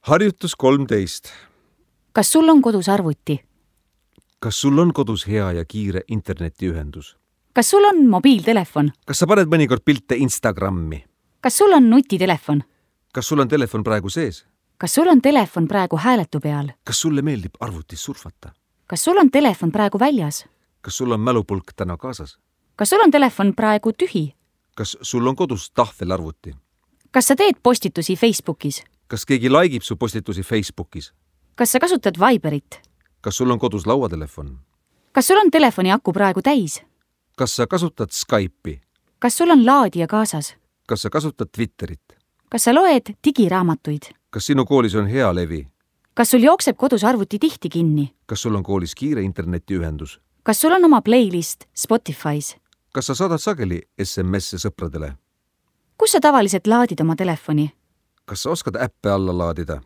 Harjutus 13. Kas sul on kodus arvuti? Kas sul on kodus hea ja kiire internetiühendus? Kas sul on mobiiltelefon? Kas sa paned mõnikord pilte Instagrammi? Kas sul on nutitelefon? Kas sul on telefon praegu sees? Kas sul on telefon praegu hääletu peal? Kas sulle meeldib arvutis surfata? Kas sul on telefon praegu väljas? Kas sul on mälupulk täna kaasas? Kas sul on telefon praegu tühi? Kas sul on kodus tahvelarvuti? Kas sa teed postitusi Facebookis? Kas keegi laikib su postitusi Facebookis? Kas sa kasutad Viberit? Kas sul on kodus lauatelefon? Kas sul on telefoni aku praegu täis? Kas sa kasutad Skype'i? Kas sul on laadija kaasas? Kas sa kasutad Twitterit? Kas sa loed digiraamatuid? Kas sinu koolis on hea levi? Kas sul jookseb kodus arvuti tihti kinni? Kas sul on koolis kiire internetiühendus? Kas sul on oma playlist Spotify's? Kas sa saadad sageli SMS-e sõpradele? Kus sa tavaliselt laadid oma telefoni? Kas sa oskad äppe alla laadida?